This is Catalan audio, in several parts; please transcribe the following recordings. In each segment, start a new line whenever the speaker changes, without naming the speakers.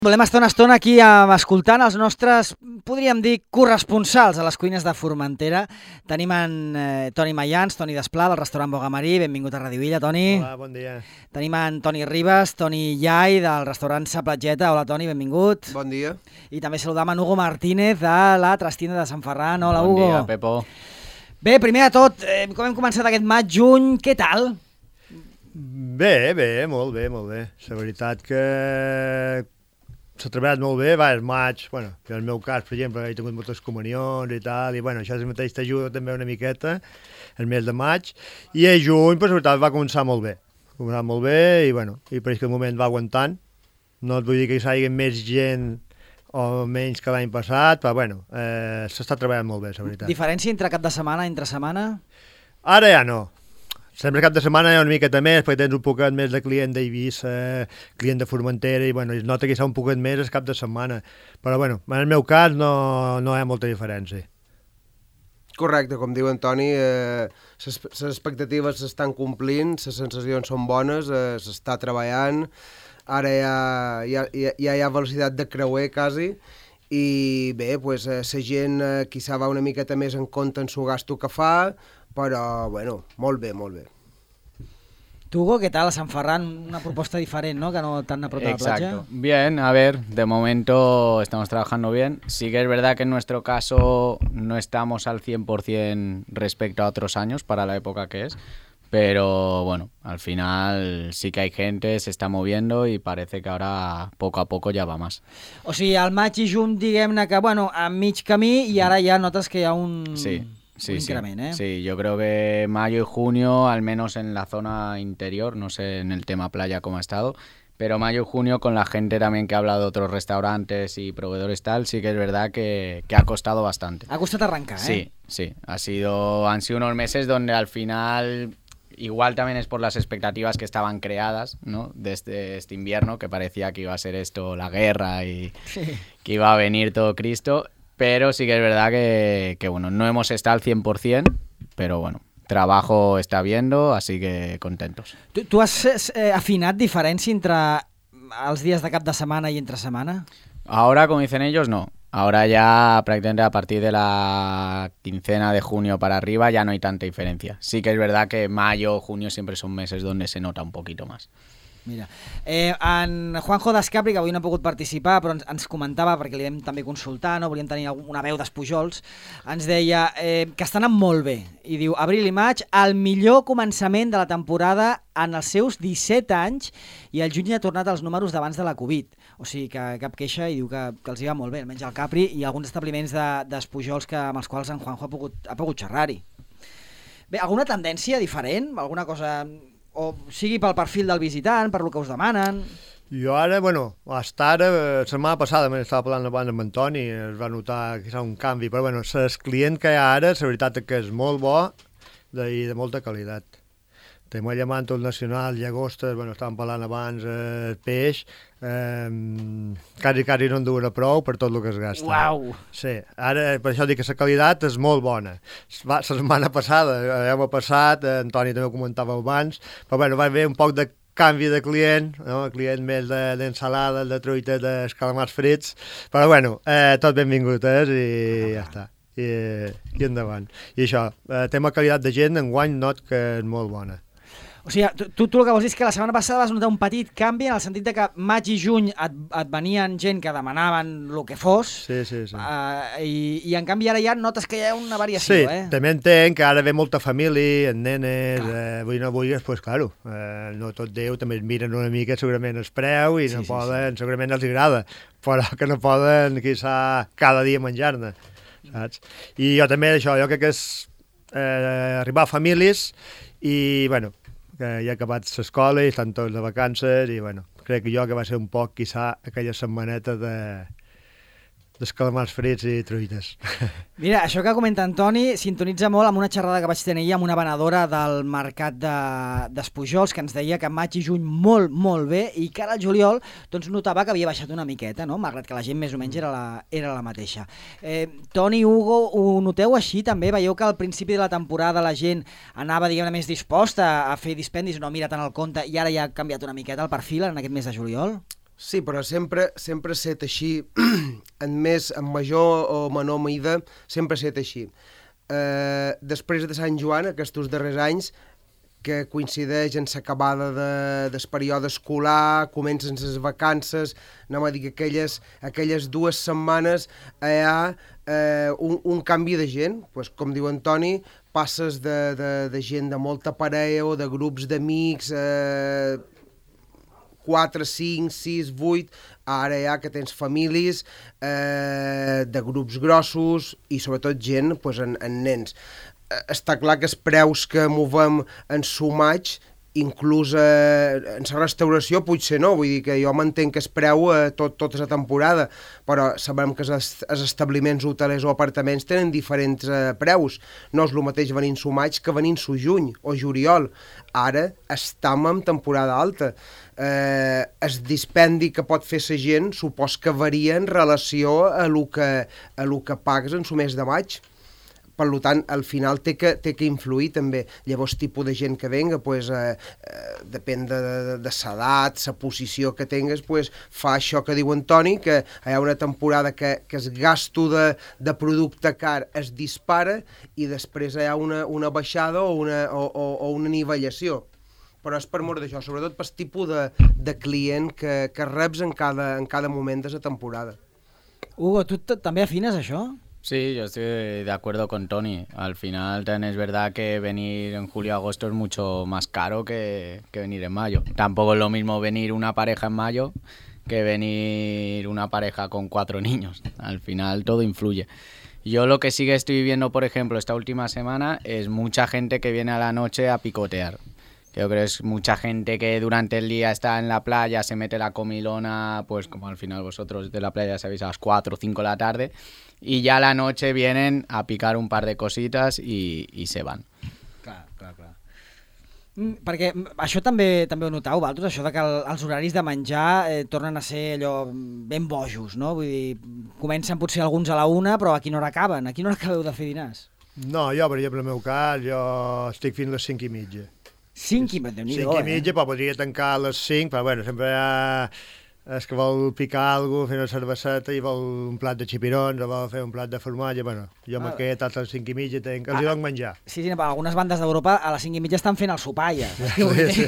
Volem estar una estona aquí escoltant els nostres, podríem dir, corresponsals a les cuines de Formentera. Tenim en Toni Mayans, Toni Desplà, del restaurant Bogamarí. Benvingut a Radio Illa, Toni.
Hola, bon dia.
Tenim en Toni Ribas, Toni Iai, del restaurant Sa Platgeta. Hola, Toni, benvingut.
Bon dia.
I també saludam en Hugo Martínez, de la Trastina de Sant Ferran. Hola, Hugo.
Bon dia, Pepo.
Bé, primer de tot, com hem començat aquest maig-juny, què tal?
Bé, molt bé. La veritat que s'ha treballat molt bé, és maig, en el meu cas, per exemple, he tingut moltes comunions i tal, i això mateix t'ajuda també una miqueta, el mes de maig, i a juny, la veritat, va començar molt bé. I per aquest moment va aguantant. No et vull dir que hi hagi més gent o menys que l'any passat, però s'està treballant molt bé, la veritat.
Diferència entre cap de setmana i entre setmana?
Ara ja no. Sempre cap de setmana hi ha una miqueta més, perquè tens un poquet més de client d'Eivissa, client de Formentera, i es nota que hi ha un poquet més el cap de setmana. Però en el meu cas no hi ha molta diferència.
Correcte, com diu en Toni, les expectatives s'estan complint, les sensacions són bones, s'està treballant, ara ja hi ha velocitat de creuer quasi, i bé, la gent quizà va una miqueta més en compte en su gasto que fa, però, molt bé.
Tu, Hugo, ¿qué tal? A Sant Ferran, una propuesta diferente, ¿no? Que no tan a prop de la playa.
Exacto. Bien, a ver, de momento estamos trabajando bien. Sí que es verdad que en nuestro caso no estamos al 100% respecto a otros años para la época que es, pero al final sí que hay gente, se está moviendo y parece que ahora poco a poco ya va más.
O sigui, al maig i juny, diguem-ne que, a mig camí, i ara ja notes que hi ha un increment,
Sí, yo creo que mayo y junio, al menos en la zona interior, no sé en el tema playa cómo ha estado, pero mayo y junio con la gente también que habla de otros restaurantes y proveedores tal, sí que es verdad que ha costado bastante.
Ha costado arrancar,
Sí, han sido unos meses donde al final, igual también es por las expectativas que estaban creadas, ¿no? Desde este invierno, que parecía que iba a ser esto la guerra y que iba a venir todo Cristo. Pero sí que es verdad que no hemos estado al 100%, pero trabajo está habiendo, así que contentos.
¿Tú has afinat diferència entre els dies de cap de setmana i entre setmana?
Ahora, como dicen ellos, no. Ahora ya prácticamente a partir de la quincena de junio para arriba ya no hay tanta diferencia. Sí que es verdad que mayo o junio siempre son meses donde se nota un poquito más.
Mira, en Juanjo d'Escapri, que avui no ha pogut participar, però ens comentava, perquè li vam també consultar, no? Volíem tenir una veu d'Espujols, ens deia que està anant molt bé, i diu, abril i maig, el millor començament de la temporada en els seus 17 anys, i el juny ha tornat als números d'abans de la Covid. O sigui, que cap queixa, i diu que els hi va molt bé, almenys al Capri, i alguns establiments d'Espujols amb els quals en Juanjo ha pogut xerrar-hi. Bé, alguna tendència diferent? Alguna cosa... O sigui pel perfil del visitant, per lo que us demanen?
Jo ara, la setmana passada estava parlant abans amb en Toni, es va notar que hi ha un canvi, però el client que hi ha ara, la veritat és que és molt bo i de molta qualitat. Tenim el llamantos nacional, llagostes, estàvem parlant abans, peix, quasi no en duen a prou per tot el que es gasta.
Uau!
Sí, ara per això dic que la qualitat és molt bona. La setmana passada, ja m'ha passat, en Toni també ho comentava abans, però va haver un poc de canvi de client, no? Client més d'ensalada, de truita, d'escalamars frits, però tot benvingut i ja està. I endavant. I això, tema qualitat de gent, enguany not que és molt bona.
O sigui, tu el que vols dir és que la setmana passada vas notar un petit canvi en el sentit de que maig i juny et venien gent que demanaven el que fos,
sí.
I en canvi ara ja notes que hi ha una variació,
Sí, també entenc que ara ve molta família, nenes, vull no vulguis, doncs claro, no tot Déu, també es miren una mica segurament el preu i no poden, segurament els agrada, però que no poden, quizà, cada dia menjar-ne, saps? I jo també, jo crec que és arribar a famílies i, que ja ha acabat l'escola i estan tots de vacances i, crec que va ser un poc, quizà, aquella setmaneta d'escalamars frits i truites.
Mira, això que comenta Antoni sintonitza molt amb una xerrada que vaig tenir amb una venedora del mercat d'Espujols que ens deia que maig i juny molt bé i que ara el juliol notava que havia baixat una miqueta, no? Malgrat que la gent més o menys era la mateixa. Toni, Hugo, ho noteu així també? Veieu que al principi de la temporada la gent anava, diguem-ne, més disposta a fer dispendis, no mira tant el compte, i ara ja ha canviat una miqueta el perfil en aquest mes de juliol?
Sí, però sempre ha estat així, en major o menor mida, sempre ha estat així. Després de Sant Joan, aquests darrers anys, que coincideix en l'acabada del període escolar, comencen les vacances, anem a dir que aquelles 2 setmanes hi ha un canvi de gent, pues, com diu Antoni, passes de gent de molta parella o de grups d'amics, 4, 5, 6, 8, ara ja que tens famílies de grups grossos i sobretot gent pues, en nens. Està clar que els preus que movem en sumats, inclús en la restauració potser no, vull dir que jo m'entenc que es preu tota la temporada, però sabem que els establiments hotelers o apartaments tenen diferents preus. No és el mateix venint su maig que venint su juny o juliol. Ara estem en temporada alta. El dispendi que pot fer la gent supos que varia en relació a lo que pagues en su mes de maig. Per tant, al final té que influir també. Llavors, tipus de gent que venga, pues, depèn de l'edat, la posició que tingues, pues, fa això que diu Antoni, que hi ha una temporada que el gasto de producte car es dispara i després hi ha una baixada o una anivellació. Però és per mort d'això, sobretot pel tipus de client que reps en cada moment de la temporada.
Hugo, tu també afines això?
Sí, yo estoy de acuerdo con Tony. Al final también es verdad que venir en julio y agosto es mucho más caro que venir en mayo. Tampoco es lo mismo venir una pareja en mayo que venir una pareja con 4 niños. Al final todo influye. Yo lo que sí que estoy viendo, por ejemplo, esta última semana es mucha gente que viene a la noche a picotear. Yo creo que es mucha gente que durante el día está en la playa, se mete la comilona, pues como al final vosotros de la playa sabéis a las 4 o 5 de la tarde, y ya a la noche vienen a picar un par de cositas y se van.
Clar. Perquè això també ho notau, vosaltres, això de que els horaris de menjar tornen a ser allò ben bojos, no? Vull dir, comencen potser alguns a la 1, però a quina hora acaben? A quina hora acabeu de fer dinars?
No, jo, per exemple, en el meu cas, jo estic fins les 5:30.
5:30,
5:30, però podria tancar a les 5, però bueno, sempre hi ha és que vol picar alguna cosa, fer una cerveseta i vol un plat de xipirons o vol fer un plat de formatge, bueno, jo m'he quedat a les 5:30 els hi dono menjar.
Sí, per algunes bandes d'Europa a les 5:30 estan fent el sopar ja.
Sí.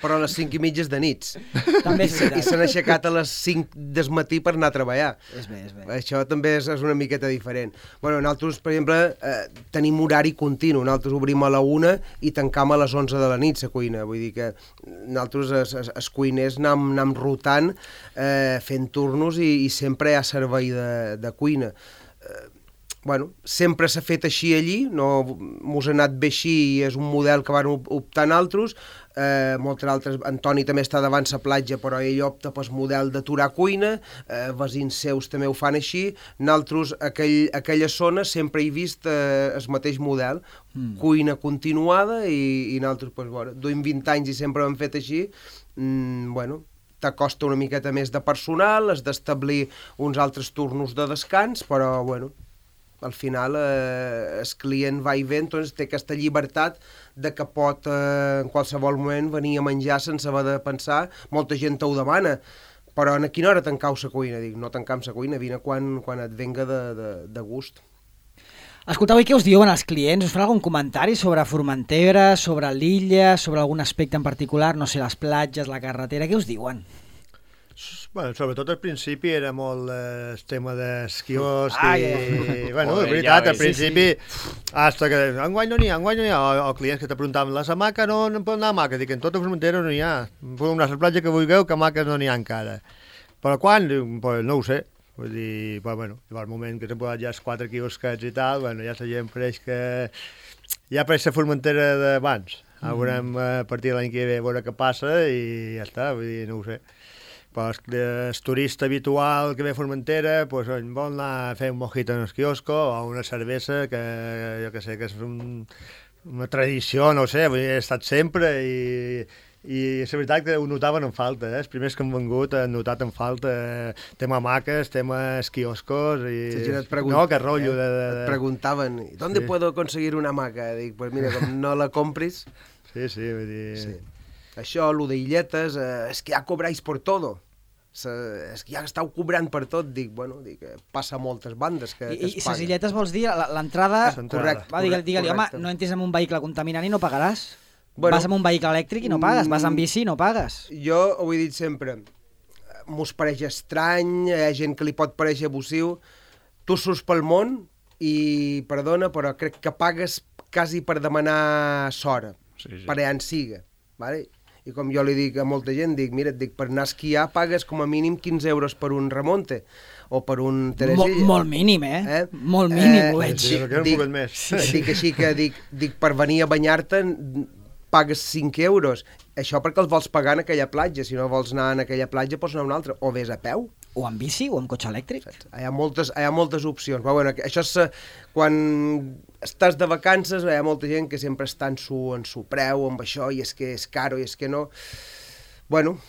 Però a les 5:30 de nits.
També és veritat.
I s'han aixecat a les 5 del matí per anar a treballar.
És bé.
Això també és una miqueta diferent. Bueno, nosaltres, per exemple, tenim horari continu. Nosaltres obrim a la 1 i tancam a les 11 de la nit la cuina. Vull dir que nosaltres, els cuiners, anem rotant fent turnos i sempre hi ha servei de cuina. Bueno, sempre s'ha fet així allí, no mos ha anat bé així i és un model que van optar altres. Moltes altres, Antoni també està davant la platja, però ell opta pel model d'aturar cuina, veïns seus també ho fan així. Nosaltres, aquella zona, sempre he vist el mateix model, cuina continuada, i nosaltres, pues, bueno, duim 20 anys i sempre ho hem fet així. Bueno, t'acosta una miqueta més de personal, has d'establir uns altres turnos de descans, però, bueno, al final el client va i ve, doncs té aquesta llibertat de que pot en qualsevol moment venir a menjar sense haver de pensar. Molta gent ho demana, però a quina hora tancau la cuina? Dic, no tancam la cuina, vine quan et venga de gust.
Escolteu, i què us diuen els clients? Us fan algun comentari sobre Formentera, sobre l'illa, sobre algun aspecte en particular? No sé, les platges, la carretera, què us diuen?
Bueno, sobretot al principi era molt el tema dels quioscs bueno,
Joder,
de veritat,
ja
al principi hasta que enguany no n'hi ha, o clients que te preguntaven, les hamaques no poden anar a hamaques, dic, en tota Formentera no n'hi ha, podem anar a la platja que vulgueu, que hamaques no n'hi ha encara. Però quan? Pues no ho sé. Vull dir, bueno, al moment que s'han posat ja els 4 quiosquets i tal, bueno, ja la gent pareix que ja apareix la Formentera d'abans. Ara veurem a partir de l'any que ve a veure què passa i ja està, vull dir, no ho sé. Però el turista habitual que ve a Formentera pues, vol anar a fer un mojito en el quiosco o una cervesa que jo que sé, que és una tradició, no ho sé, vull dir, he estat sempre i és veritat que ho notaven en falta, els primers que han vengut han notat en falta tema hamaques, tema quioscos i no, que rotllo
et preguntaven, ¿dónde puedo conseguir una hamaca? Dic, pues mira, com no la compris...
Sí, vull dir...
Sí. Això, lo d'illetes, és que ja cobráis por todo. és que ja estàu cobrant per tot, dic, passa a moltes bandes que
I
es paguen.
ses illetes vols dir l'entrada...
Correcte.
Va, digue-li, home,
correcte.
no entris en un vehicle contaminant i no pagaràs.
Bueno,
Vas amb un vehicle elèctric i no pagues, vas amb bici i no pagues.
Jo ho he dit sempre, mos pareix estrany, hi ha gent que li pot pareixer abusiu, tu surts pel món i, perdona, però crec que pagues quasi per demanar sora, per allà en siga, vale? I com jo li dic a molta gent, mira, per anar a esquiar pagues com a mínim 15 euros per un remonte o per un Teresilla.
Molt mínim, Molt mínim, ho veig.
Sí, perquè no pugues més.
Dic així que dic per venir a banyar-te pagues 5 euros. Això perquè els vols pagar en aquella platja. Si no vols anar en aquella platja, pots anar a una altra. O vés a peu.
O amb bici o amb cotxe elèctric.
Hi ha moltes opcions. Però, bueno, això és... Quan estàs de vacances, hi ha molta gent que sempre està en su preu, amb això, i és que és caro, i és que no... Bueno,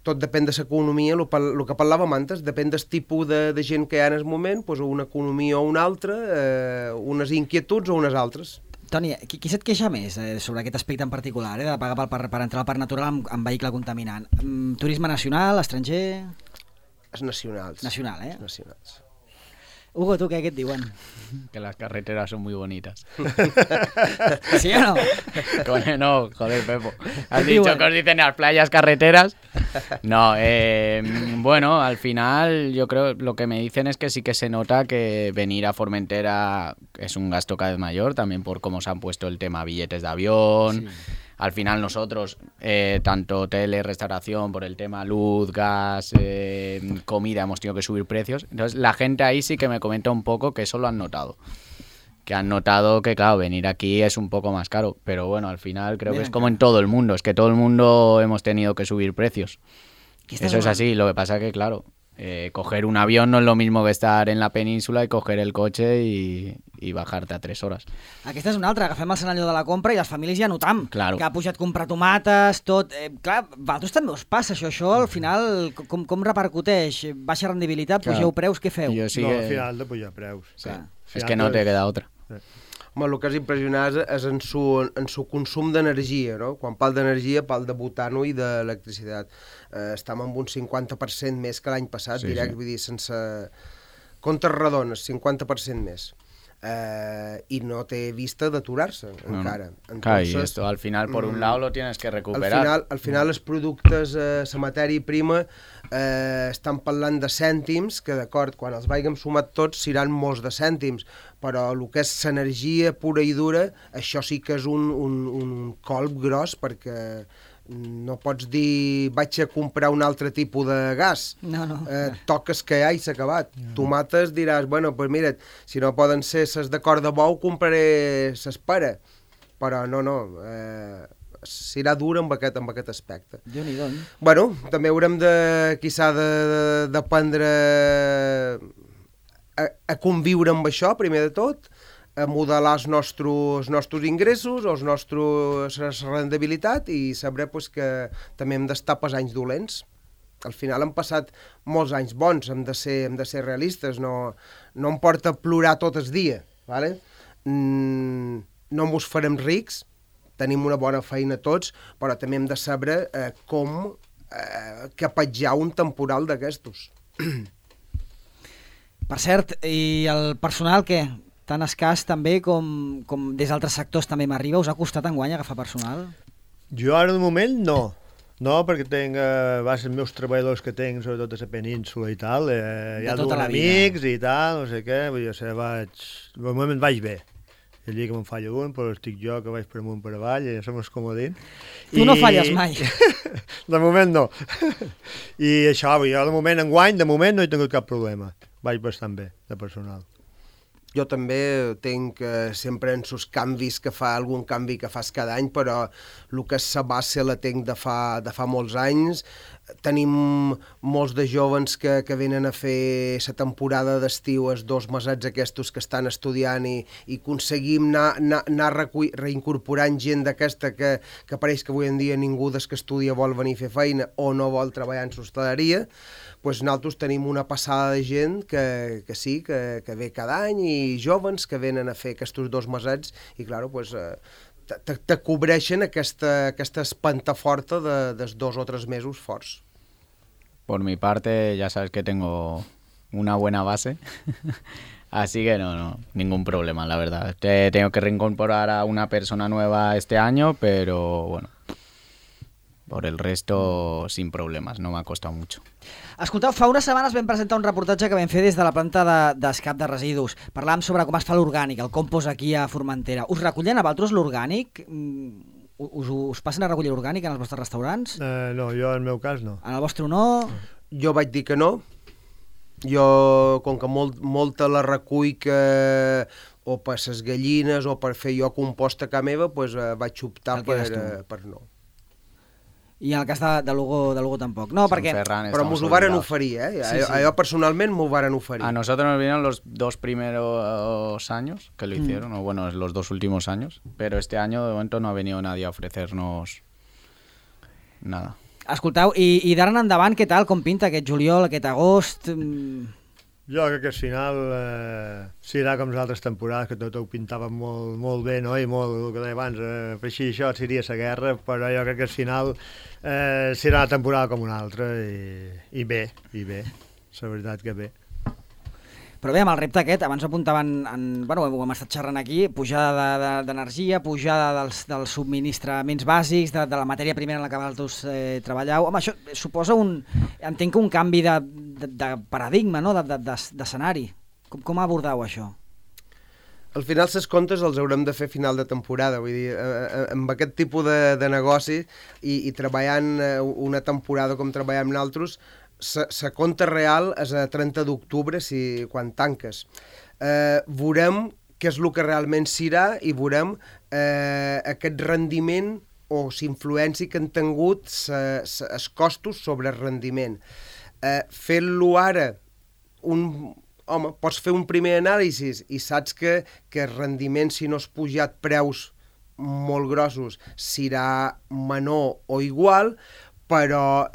tot depèn de l'economia, el que parlàvem antes, depèn del tipus de gent que hi ha en el moment, doncs una economia o una altra, unes inquietuds o unes altres.
Toni, qui se't queixa més sobre aquest aspecte en particular, de pagar per entrar al parc natural amb vehicle contaminant? Turisme nacional, estranger?
Els nacionals.
Nacional,
Els nacionals.
Hugo, ¿tú qué et diuen?
Que las carreteras son muy bonitas.
¿Sí o no?
No, joder, Pepo. ¿Has dicho que os dicen las playas carreteras? No, bueno, al final yo creo lo que me dicen es que sí que se nota que venir a Formentera es un gasto cada vez mayor, también por cómo se han puesto el tema billetes de avión. Sí. Al final nosotros, tanto hoteles, restauración, por el tema luz, gas, comida, hemos tenido que subir precios. Entonces la gente ahí sí que me comenta un poco que eso lo han notado. Que han notado que, claro, venir aquí es un poco más caro. Pero bueno, al final creo que es como en todo el mundo. Es que todo el mundo hemos tenido que subir precios. Eso es así. Lo que pasa es que, claro, coger un avión no es lo mismo que estar en la península y coger el coche i bajar-te a 3 hores.
Aquesta és una altra, agafem el escenari de la compra i les famílies ja notam
claro.
Que ha pujat comprar tomates, tot. Clar, a vosaltres també us passa això al final, com repercuteix? Baixa rendibilitat, pugeu preus, què feu?
Sí
no, al final de pujar preus.
Sí. És que no te queda otra.
Home, el que és impressionant és en su consum d'energia, no? Quan parl d'energia, parl de butano i d'electricitat. Estem amb un 50% més que l'any passat, direct, vull dir, sense comptes redones, 50% més. Y no te vista d'aturar-se encara.
Entonces, claro, y esto al final por un lado lo tienes que recuperar.
Al final els productes, la matèria prima, estan parlant de cèntims, que d'acord, quan els vàigem sumat tots seran molts de cèntims, però el que és l'energia pura i dura, això sí que és un colp gros, perquè no pots dir vaig a comprar un altre tipus de gas.
No.
Toques que ja i s'ha acabat. Tomates diràs, bueno, pues mira, si no poden ser ses de cor de bou, compraré ses pera. Però no, serà dur amb aquest aspecte.
Déu-n'hi-do.
Bueno, també haurem d'aprendre a conviure amb això, primer de tot, a modelar els nostres ingressos, la rendibilitat i saber pues, que també hem d'estar pas anys dolents. Al final han passat molts anys bons, hem de ser realistes, no em porta plorar tot el dia, ¿vale? No mos farem rics, tenim una bona feina tots, però també hem de saber com capatjar un temporal d'aquestos.
Per cert, i el personal què? Tan escàs també com des d'altres sectors també m'arriba. Us ha costat enguany agafar personal?
Jo ara de moment no. No, perquè tinc els meus treballadors que tinc, sobretot a la península i tal, hi ha dos amics i tal, no sé què, vull dir, de moment vaig bé. El dia que me'n falla un, però estic jo que vaig per amunt per avall, i ja som els comodins.
Tu no falles mai.
De moment no. I això, jo de moment enguany, de moment no he tingut cap problema. Vaig bastant bé, de personal.
Jo també tinc sempre en sus canvis, que fa algun canvi que fas cada any, però el que és la base la tinc de fa molts anys. Tenim molts de joves que venen a fer la temporada d'estiu, els 2 mesets aquests que estan estudiant i aconseguim anar reincorporant gent d'aquesta que pareix que avui en dia ningú des que estudia vol venir a fer feina o no vol treballar en l'hostaleria. Pues nosaltres tenim una passada de gent que sí, que ve cada any i jovens que venen a fer aquests 2 mesets i, clar, pues, te cobreixen aquesta espanta forta dels 2 o 3 mesos forts.
por mi parte ya sabes que tengo una buena base. Así que no, ningún problema, la verdad. Tengo que reincorporar a una persona nueva este año, pero bueno, por el resto sin problemes, no m'ha costat mucho.
Escolteu, fa unes setmanes vam presentar un reportatge que vam fer des de la planta d'escap de residus. Parlàvem sobre com es fa l'orgànic, el compost aquí a Formentera. Us recullen a vosaltres l'orgànic? Us passen a recollir l'orgànic en els vostres restaurants?
No, jo en el meu cas no.
En el vostre no?
Jo vaig dir que no. Jo, com que molta la recull o per les gallines o per fer jo compost a casa meva, doncs vaig optar per no.
I en el cas de Lugo tampoc. No, perquè...
Però mos ho varen oferir, Sí. Allò personalment m'ho varen oferir.
A nosotros nos vinieron los 2 primeros años que lo hicieron, o bueno, los 2 últimos años, pero este año de momento no ha venido nadie a ofrecernos nada.
Escolteu, i d'ara en endavant, què tal? Com pinta aquest juliol, aquest agost?
Jo crec que al final serà com les altres temporades, que tot ho pintaven molt bé, no? I molt, el que deia abans, per així això seria la guerra, però jo crec que al final serà una temporada com una altra i bé, la veritat que bé.
Però bé, amb el repte aquest, abans apuntaven, bueno, ho hem estat xerrant aquí, pujada d'energia, pujada dels subministraments bàsics, de la matèria primera en la que vosaltres treballeu. Home, això suposa entenc que un canvi de paradigma, no? D'escenari. Com abordeu això?
Al final, les comptes els haurem de fer a final de temporada. Vull dir, amb aquest tipus de negoci i treballant una temporada com treballem nosaltres, la compta real és a 30 d'octubre quan tanques. Veurem què és el que realment serà i veurem aquest rendiment o l'influència que han tingut els costos sobre el rendiment. Fent-lo ara, pots fer un primer anàlisi i saps que el rendiment, si no has pujat preus molt grossos, serà menor o igual, però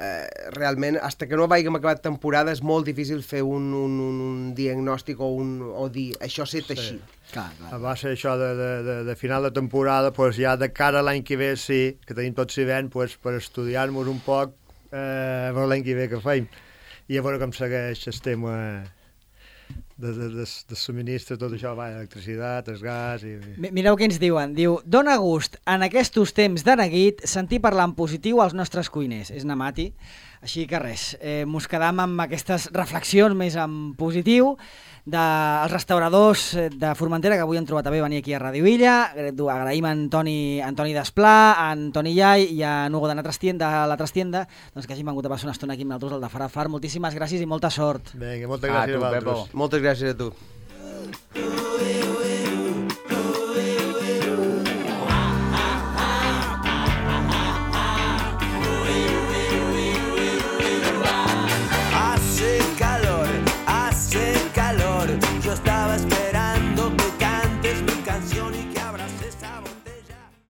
realment, fins que no hàgim acabat temporada, és molt difícil fer un diagnòstic o dir això s'ha fet així.
Clar.
Va ser això de final de temporada, doncs ja de cara a l'any que ve, sí, que tenim tot s'hivern, doncs per estudiar-nos un poc per l'any que ve que feim. I a veure com segueix el tema de subministre, tot això, electricitat, el gas...
Mireu què ens diuen. Diu, dona gust en aquests temps de neguit sentir parlar en positiu als nostres cuiners. És Namati. Així que res, mos quedam amb aquestes reflexions més en positiu dels restauradors de Formentera, que avui han trobat a bé venir aquí a Ràdio Illa. Agraïm a Antoni Desplà, a Antoni Llai i a Nugo de la Trastienda, doncs que hagin vengut a passar una estona aquí amb nosaltres al de Farafar. Moltíssimes gràcies i molta sort.
Vinga, moltes gràcies a vosaltres.
Moltes gràcies a tu.